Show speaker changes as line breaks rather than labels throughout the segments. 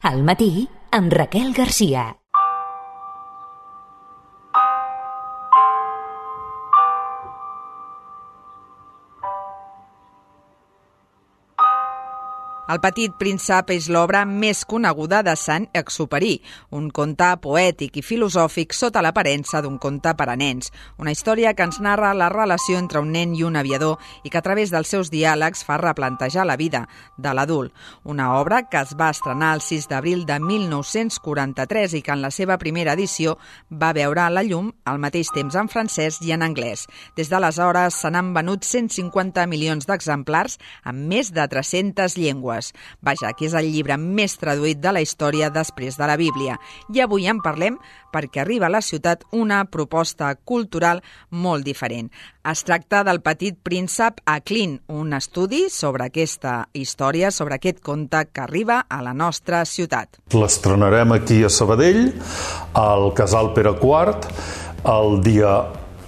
Al matí, amb Raquel Garcia.
El petit príncep és l'obra més coneguda de Saint-Exupéry, un conte poètic i filosòfic sota l'aparença d'un conte per a nens. Una història que ens narra la relació entre un nen i un aviador i que a través dels seus diàlegs fa replantejar la vida de l'adult. Una obra que es va estrenar el 6 d'abril de 1943 i que en la seva primera edició va veure la llum al mateix temps en francès i en anglès. Des d'aleshores se n'han venut 150 milions d'exemplars en més de 300 llengües. Vaja, que és el llibre més traduït de la història després de la Bíblia. I avui en parlem perquè arriba a la ciutat una proposta cultural molt diferent. Es tracta del Petit príncep a Clint, un estudi sobre aquesta història, sobre aquest conte que arriba a la nostra ciutat.
L'estrenarem aquí a Sabadell, al Casal Pere IV, el dia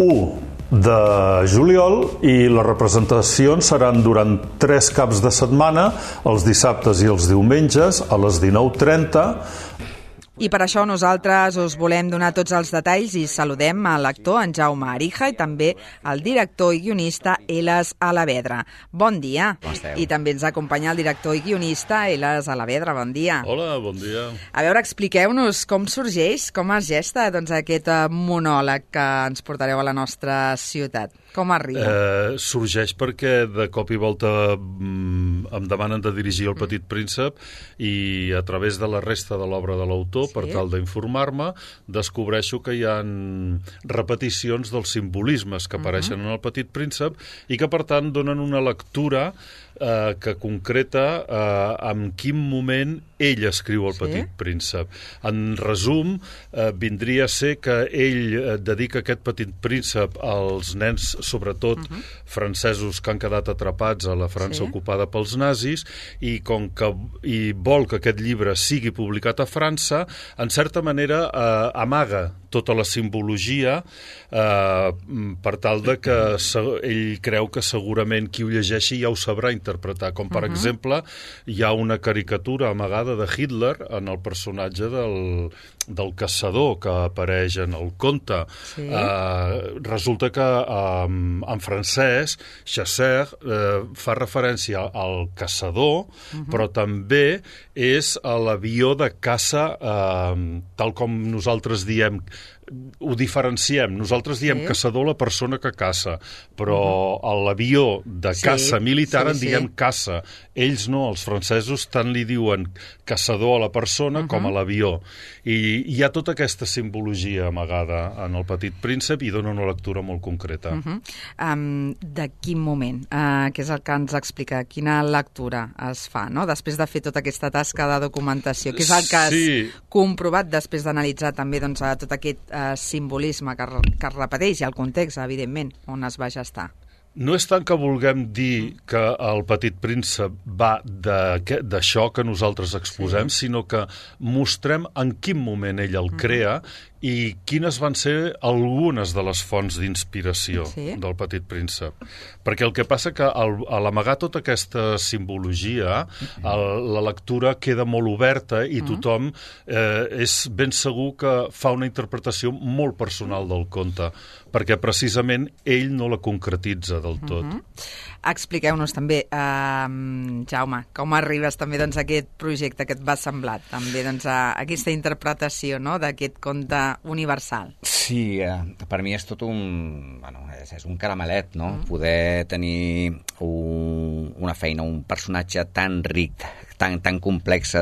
1 de juliol, i les representacions seran durant 3 caps de setmana, els dissabtes i els diumenges, a les 19:30.
I per això nosaltres us volem donar tots els detalls i saludem a l'actor en Jaume Arija i també al director i guionista Elas Alavedra. Bon dia.
Com esteu?
I també ens acompanya el director i guionista Elas Alavedra. Bon dia.
Hola, bon dia.
A veure, expliqueu-nos com sorgeix, com es gesta aquest monòleg que ens portareu a la nostra ciutat. Com arriba?
Sorgeix perquè de cop i volta em demanen de dirigir El petit príncep i a través de la resta de l'obra de l'autor,
sí,
per tal d'informar-me, descobreixo que hi ha repeticions dels simbolismes que apareixen en El petit príncep i que per tant donen una lectura que concreta en quin moment ell escriu El petit príncep. En resum, vindria a ser que ell dedica aquest petit príncep als nens, sobretot francesos que han quedat atrapats a la França ocupada pels nazis, i com que vol que aquest llibre sigui publicat a França, en certa manera amaga tota la simbologia per tal de que ell creu que segurament qui ho llegeixi ja ho sabrà interpretar. Com per exemple, hi ha una caricatura amagada de Hitler en el personatge del caçador que apareix en el conte. Resulta que en francès Chasseur fa referència al caçador, però també és a l'avió de caça, tal com nosaltres diem, ho diferenciem. Nosaltres diem caçador la persona que caça, però a l'avió de caça militar en diem caça. Ells no, els francesos tant li diuen caçador a la persona com a l'avió. I hi ha tota aquesta simbologia amagada en El petit príncep i dona una lectura molt concreta.
De quin moment? Què és el que ens explica? Quina lectura es fa, no? Després de fer tota aquesta tasca de documentació? Què és el que has comprovat després d'analitzar també tot aquest simbolisme que es repeteix i el context, evidentment, on es va gestar?
No és tant que vulguem dir que El petit príncep va d'això que nosaltres exposem, sinó que mostrem en quin moment ell el crea i quines van ser algunes de les fonts d'inspiració del petit príncep. Perquè el que passa que a l'amagar tota aquesta simbologia, la lectura queda molt oberta i tothom és ben segur que fa una interpretació molt personal del conte, perquè precisament ell no la concretitza del tot.
Expliqueu-nos també, Jaume, com arribes també a aquest projecte que et va semblar, també a aquesta interpretació d'aquest conte universal.
Sí, per mi és tot és un caramelet, no? Poder tenir una feina, un personatge tan ric, tan complex,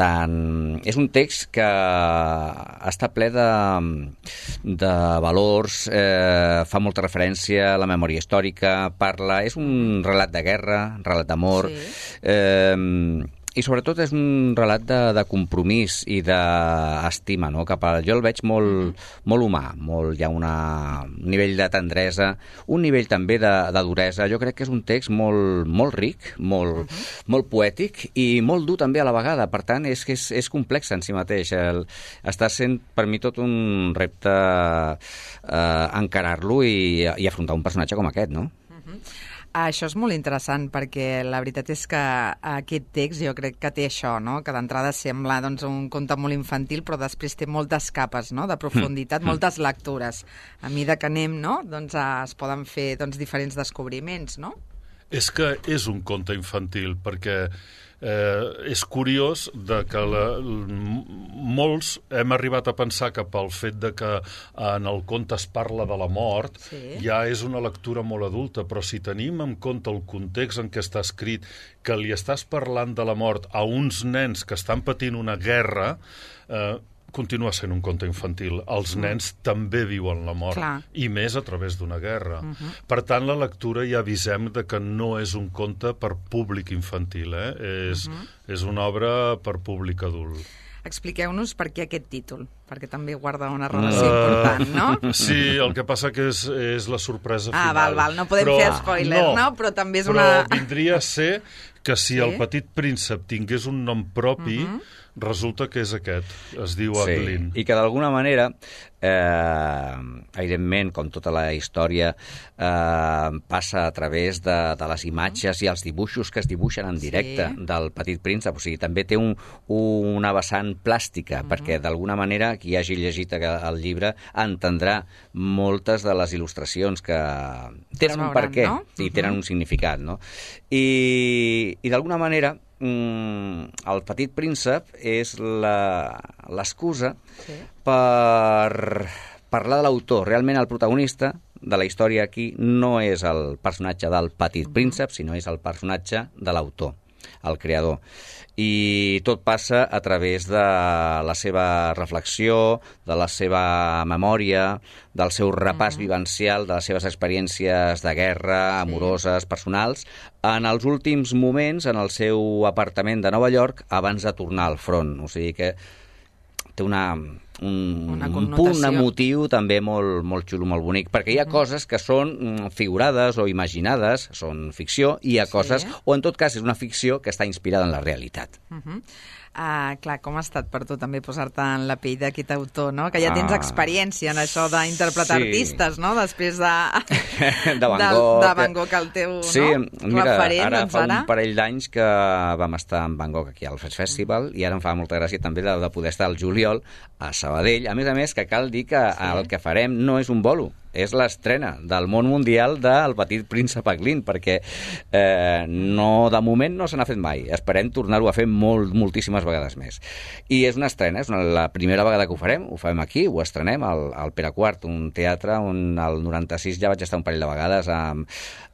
és un text que està ple de valors, fa molta referència a la memòria històrica, és un relat de guerra, un relat d'amor, i sobretot és un relat de compromís i d'estima, no? Jo el veig molt humà, hi ha un nivell de tendresa, un nivell també de duresa. Jo crec que és un text molt ric, molt poètic i molt dur també a la vegada. Per tant, és complex en si mateix. Està sent per mi tot un repte encarar-lo i afrontar un personatge com aquest, no?
Això és molt interessant perquè la veritat és que aquest text jo crec que té això, no? Que d'entrada sembla doncs, un conte molt infantil però després té moltes capes, no? De profunditat, moltes lectures. A mesura que anem, no? Doncs es poden fer diferents descobriments, no?
És que és un conte infantil perquè és curiós que molts hem arribat a pensar que pel fet de que en el conte es parla de la mort ja és una lectura molt adulta, però si tenim en compte el context en què està escrit, que li estàs parlant de la mort a uns nens que estan patint una guerra, continua sent un conte infantil. Els nens també viuen la mort, i més a través d'una guerra. Per tant, la lectura ja avisem de que no és un conte per públic infantil, és una obra per públic adult.
Expliqueu-nos per què aquest títol, perquè també guarda una relació important, no?
Sí, el que passa que és la sorpresa final.
Val, no podem fer spoiler, no? Però també és una...
Però vindria a ser que si el Petit Príncep tingués un nom propi, resulta que és aquest, es diu Aglin.
I que d'alguna manera, evidentment, com tota la història, passa a través de les imatges i els dibuixos que es dibuixen en directe del Petit Príncep. O sigui, també té una vessant plàstica, perquè d'alguna manera qui hagi llegit el llibre entendrà moltes de les il·lustracions que tenen un perquè i tenen un significat, no? I d'alguna manera el Petit Príncep és l'excusa per parlar de l'autor. Realment el protagonista de la història aquí no és el personatge del Petit Príncep, sinó és el personatge de l'autor, el creador. I tot passa a través de la seva reflexió, de la seva memòria, del seu repàs vivencial, de les seves experiències de guerra, amoroses, personals, en els últims moments en el seu apartament de Nova York abans de tornar al front. O sigui que té un punt emotiu també molt xulo, molt bonic, perquè hi ha coses que són figurades o imaginades, són ficció, i hi ha coses, o en tot cas és una ficció que està inspirada en la realitat.
Clar, com ha estat per tu també posar-te en la pell d'aquest autor, no? Que ja tens experiència en això d'interpretar artistes, no? Després de Van Gogh, el teu referent.
Ara fa un parell d'anys que vam estar en Van Gogh aquí al Fest Festival i ara em fa molta gràcia també de poder estar al juliol a Sabadell. A més, que cal dir que el que farem no és un bolo, és l'estrena del món mundial del Petit Príncep Aglin, perquè de moment no se n'ha fet mai. Esperem tornar-ho a fer moltíssimes vegades més. I és una estrena, és la primera vegada que ho fem aquí, ho estrenem al Pere IV, un teatre on al 96 ja vaig estar un parell de vegades amb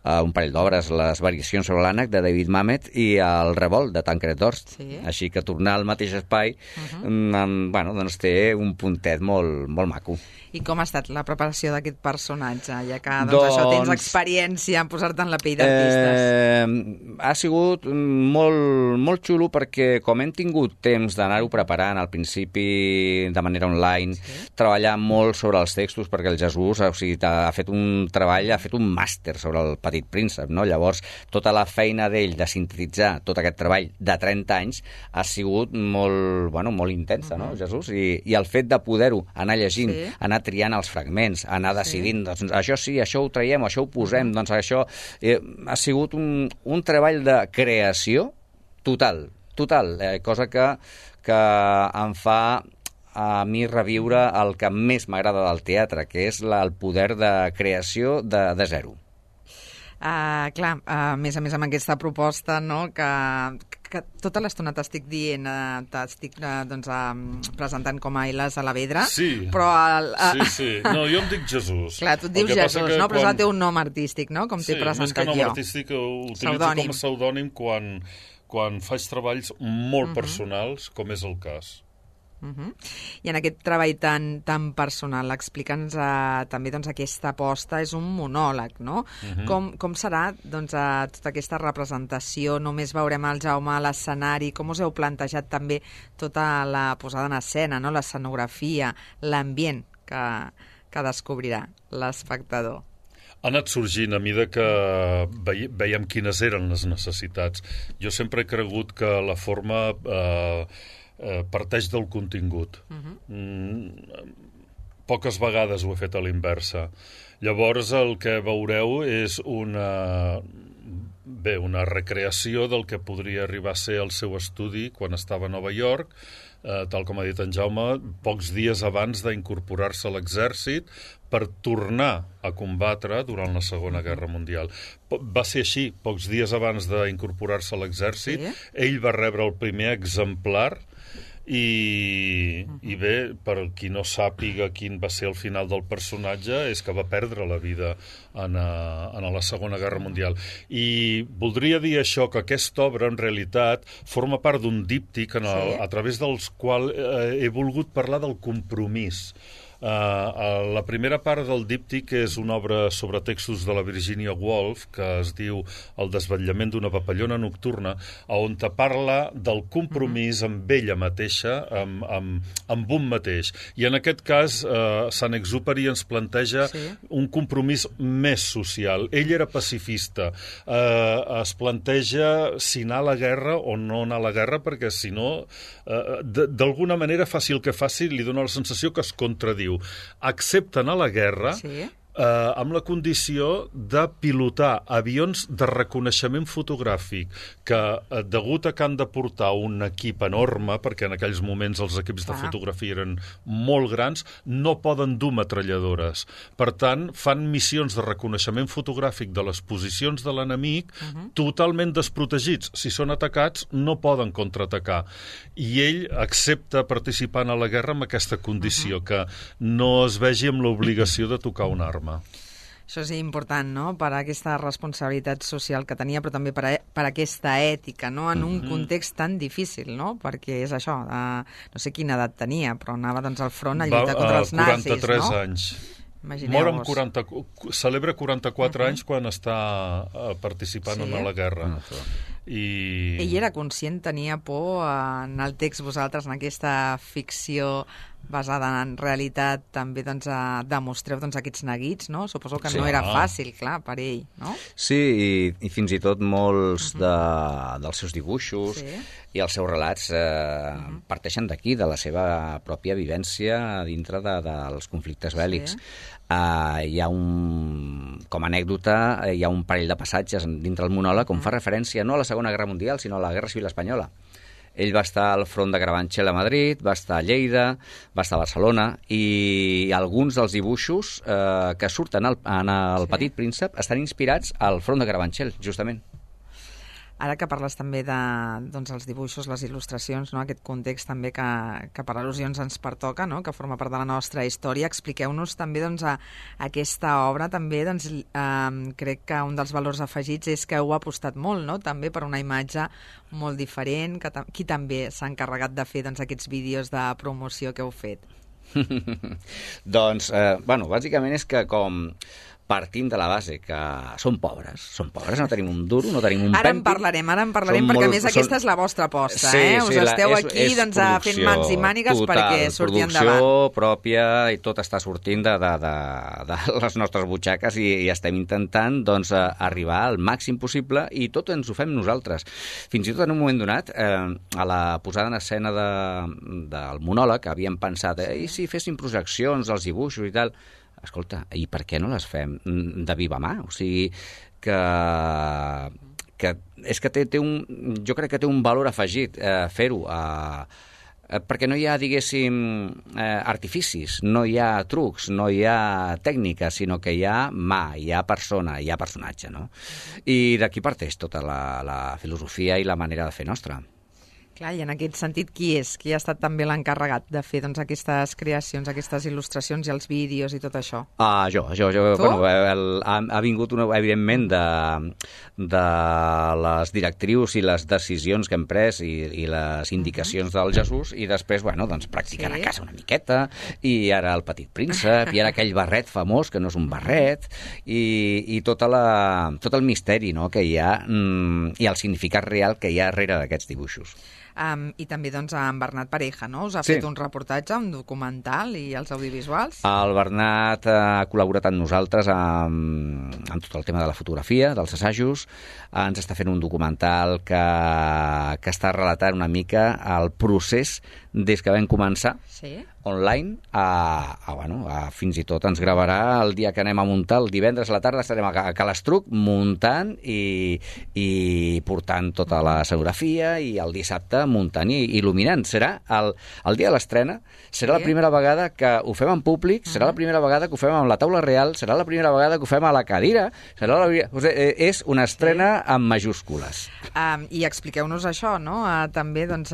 un parell d'obres, les variacions sobre l'ànec de David Mamet i el Revolt de Tancred d'Orst. Així que tornar al mateix espai doncs té un puntet molt maco.
I com ha estat la preparació d'aquest personatge, ja que això tens experiència en posar-te en la pell d'artistes?
Ha sigut molt xulo perquè com hem tingut temps d'anar-ho preparant al principi de manera online, treballar molt sobre els textos perquè el Jesús ha fet un treball, ha fet un màster sobre el Petit Príncep, no? Llavors tota la feina d'ell de sintetitzar tot aquest treball de 30 anys ha sigut molt intensa, no, Jesús? I el fet de poder-ho anar llegint, anar triant els fragments, anar decidint, doncs això sí, això ho traiem, això ho posem, doncs això ha sigut un treball de creació total, cosa que em fa a mi reviure el que més m'agrada del teatre, que és el poder de creació de zero.
Clar, a més amb aquesta proposta, no, que tota l'estona t'estic dient, t'estic presentant com a Eilàs Alavedra, però...
Sí. No, jo em dic Jesús.
Clar, tu et dius Jesús, no? Però és el teu nom artístic, no? Com t'he presentat jo.
Més que nom artístic, ho utilitzo com a pseudònim quan faig treballs molt personals, com és el cas.
I en aquest treball tan personal, explica'ns també aquesta aposta, és un monòleg, no? Com serà tota aquesta representació? Només veurem el Jaume a l'escenari? Com us heu plantejat també tota la posada en escena, no? L'escenografia, l'ambient que descobrirà l'espectador?
Ha anat sorgint a mesura que veiem quines eren les necessitats. Jo sempre he cregut que la forma parteix del contingut. Poques vegades ho he fet a l'inversa. Llavors el que veureu és bé, una recreació del que podria arribar a ser el seu estudi quan estava a Nova York, tal com ha dit en Jaume, pocs dies abans d'incorporar-se a l'exèrcit per tornar a combatre durant la Segona Guerra Mundial. Va ser així, pocs dies abans d'incorporar-se a l'exèrcit, ell va rebre el primer exemplar i bé, per qui no sàpiga quin va ser el final del personatge, és que va perdre la vida en la Segona Guerra Mundial. I voldria dir això, que aquesta obra, en realitat, forma part d'un díptic a través del qual he volgut parlar del compromís. La primera part del díptic és una obra sobre textos de la Virginia Woolf que es diu El desvetllament d'una papallona nocturna, on te parla del compromís amb ella mateixa, amb un mateix. I en aquest cas, Saint-Exupéry ens planteja un compromís més social. Ell era pacifista. Es planteja si anar a la guerra o no anar a la guerra, perquè si no, d'alguna manera, faci el que faci, li dona la sensació que es contradiu. Accepten a la guerra amb la condició de pilotar avions de reconeixement fotogràfic que, degut a que han de portar un equip enorme, perquè en aquells moments els equips de fotografia eren molt grans, no poden dur metralladores. Per tant, fan missions de reconeixement fotogràfic de les posicions de l'enemic totalment desprotegits. Si són atacats, no poden contraatacar. I ell accepta participar a la guerra amb aquesta condició, que no es vegi amb l'obligació de tocar una arma.
Això és important, no?, per aquesta responsabilitat social que tenia, però també per aquesta ètica, no?, en un context tan difícil, no?, perquè és això, no sé quina edat tenia, però anava doncs al front a lluitar contra els nazis,
43 anys. Mor amb celebra 44 anys quan està participant en la guerra.
Ell era conscient, tenia por en el text, vosaltres, en aquesta ficció basada en realitat, també demostreu aquests neguits, no? Suposo que no era fàcil, clar, per ell, no?
Sí, i fins i tot molts dels seus dibuixos i els seus relats parteixen d'aquí, de la seva pròpia vivència dintre dels conflictes bèl·lics. Hi ha com a anècdota, hi ha un parell de passatges dintre el monòleg on fa referència no a la Segona Guerra Mundial, sinó a la Guerra Civil Espanyola. Ell va estar al front de Carabanchel a Madrid, va estar a Lleida, va estar a Barcelona, i alguns dels dibuixos que surten en el Petit Príncep estan inspirats al front de Carabanchel, justament.
Ara que parles també dels dibuixos, les il·lustracions, no? Aquest context també que per al·lusions ens pertoca, no? Que forma part de la nostra història, expliqueu-nos també aquesta obra. També crec que un dels valors afegits és que heu apostat molt, no? També per una imatge molt diferent, qui també s'ha encarregat de fer aquests vídeos de promoció que heu fet?
Doncs, bàsicament és que com partim de la base que som pobres, no tenim un duro, no tenim un
pèmpit. Ara en parlarem, perquè a més aquesta és la vostra aposta, Us esteu aquí fent mans i mànigues perquè surti endavant.
Producció pròpia i tot està sortint de les nostres butxaques i estem intentant arribar al màxim possible i tot ens ho fem nosaltres. Fins i tot en un moment donat, a la posada en escena del monòleg, havíem pensat, i si féssim projeccions dels dibuixos i tal. Escolta, i per què no les fem de viva mà? O sigui, que és que jo crec que té un valor afegit fer-ho, perquè no hi ha, diguéssim, artificis, no hi ha trucs, no hi ha tècnica, sinó que hi ha mà, hi ha persona, hi ha personatge, no? I d'aquí parteix tota la filosofia i la manera de fer nostra.
Clar, i en aquest sentit, qui és? Qui ha estat també l'encarregat de fer aquestes creacions, aquestes il·lustracions i els vídeos i tot això?
Jo. Ha vingut, evidentment, de les directrius i les decisions que hem pres i les indicacions del Jesús, i després, practicant a casa una miqueta, i ara el Petit Príncep, i ara aquell barret famós, que no és un barret, i tot el misteri que hi ha i el significat real que hi ha darrere d'aquests dibuixos.
I també en Bernat Pareja, no? Us ha fet un reportatge, un documental i els audiovisuals?
El Bernat ha col·laborat amb nosaltres amb tot el tema de la fotografia, dels assajos. Ens està fent un documental que està relatant una mica el procés des que vam començar online, fins i tot ens gravarà el dia que anem a muntar, el divendres a la tarda estarem a Calestruc muntant i portant tota la escenografia, i el dissabte muntant i il·luminant. Serà el dia de l'estrena, serà la primera vegada que ho fem en públic, serà la primera vegada que ho fem amb la taula real, serà la primera vegada que ho fem a la cadira, és una estrena amb majúscules.
I expliqueu-nos això, no? També, doncs,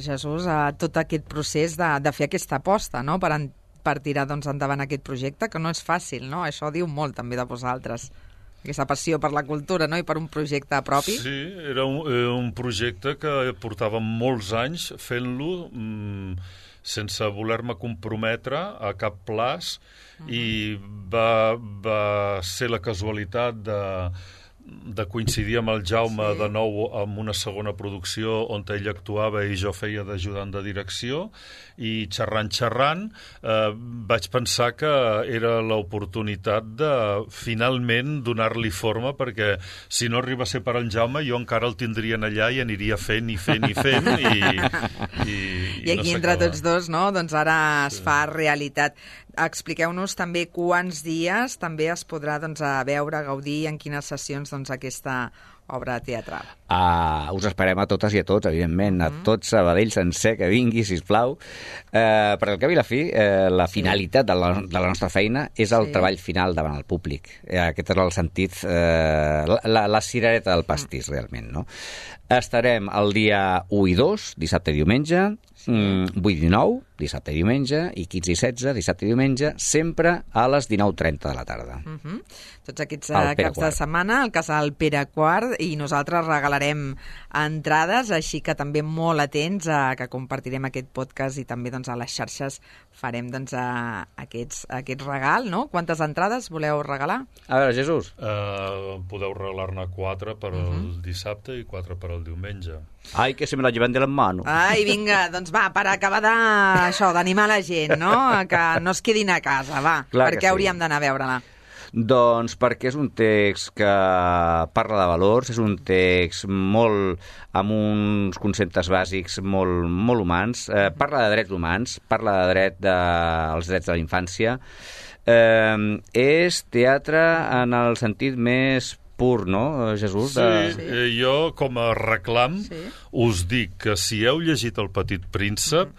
Jesús, tot aquest procés de fer aquesta aposta, no?, per tirar, doncs, endavant aquest projecte, que no és fàcil, no? Això diu molt també de vosaltres, aquesta passió per la cultura, no?, i per un projecte propi.
Sí, era un projecte que portava molts anys fent-lo sense voler-me comprometre a cap plaç, i va ser la casualitat de coincidir amb el Jaume de nou amb una segona producció on ell actuava i jo feia d'ajudant de direcció, i xerrant vaig pensar que era l'oportunitat de finalment donar-li forma, perquè si no arriba a ser per en Jaume jo encara el tindrien allà i aniria fent i
aquí entre tots dos, no?, doncs ara es fa realitat. Expliqueu-nos també quants dies també es podrà, doncs, veure, gaudir, en quines sessions, doncs, aquesta obra teatral.
Us esperem a totes i a tots, evidentment, a tots, Sabadell sencer, que vingui, sisplau, perquè al cap i la fi, la finalitat de la nostra feina és el treball final davant el públic. Aquest és el sentit, la cirereta del pastís, realment, no? Estarem el dia 1 i 2, dissabte i diumenge, 8 i 9, dissabte i diumenge, i 15 i 16, dissabte i diumenge, sempre a les 19:30 de la tarda.
Tots aquests caps de setmana, al Casal Pere IV, i nosaltres regalarem entrades, així que també molt atents a que compartirem aquest podcast, i també, doncs, a les xarxes farem, doncs, aquest regal, no? Quantes entrades voleu regalar?
A veure, Jesús.
Podeu regalar-ne 4 per al dissabte i 4 per al diumenge.
Ai, que se me la llevan de les manos.
Ai, vinga, doncs va, per acabar d'animar la gent, no?, que no es quedin a casa, va.
Clar,
per què hauríem d'anar a veure-la?
Doncs perquè és un text que parla de valors, és un text molt amb uns conceptes bàsics molt humans, parla de drets humans, parla dels drets de la infància, és teatre en el sentit més pur, no, Jesús?
Sí, jo com a reclam us dic que si heu llegit El Petit Príncep,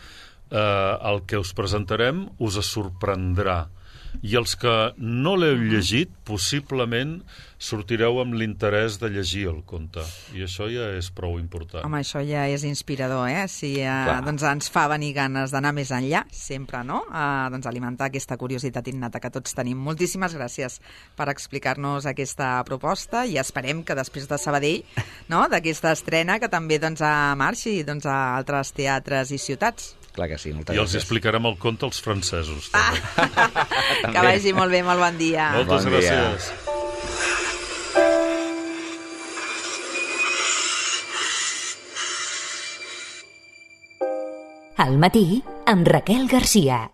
el que us presentarem us sorprendrà. I els que no l'heu llegit, possiblement sortireu amb l'interès de llegir el conte. I això ja és prou important.
Home, això ja és inspirador, Si doncs ens fa venir ganes d'anar més enllà, sempre, no? Doncs alimentar aquesta curiositat innata que tots tenim. Moltíssimes gràcies per explicar-nos aquesta proposta, i esperem que després de Sabadell, no?, d'aquesta estrena, que també, doncs, marxi, doncs, a altres teatres i ciutats.
Clar que sí, moltes
gràcies. I els explicarem el conte als francesos.
Que vagi molt bé, molt bon dia.
Moltes gràcies.
Al matí, amb Raquel Garcia.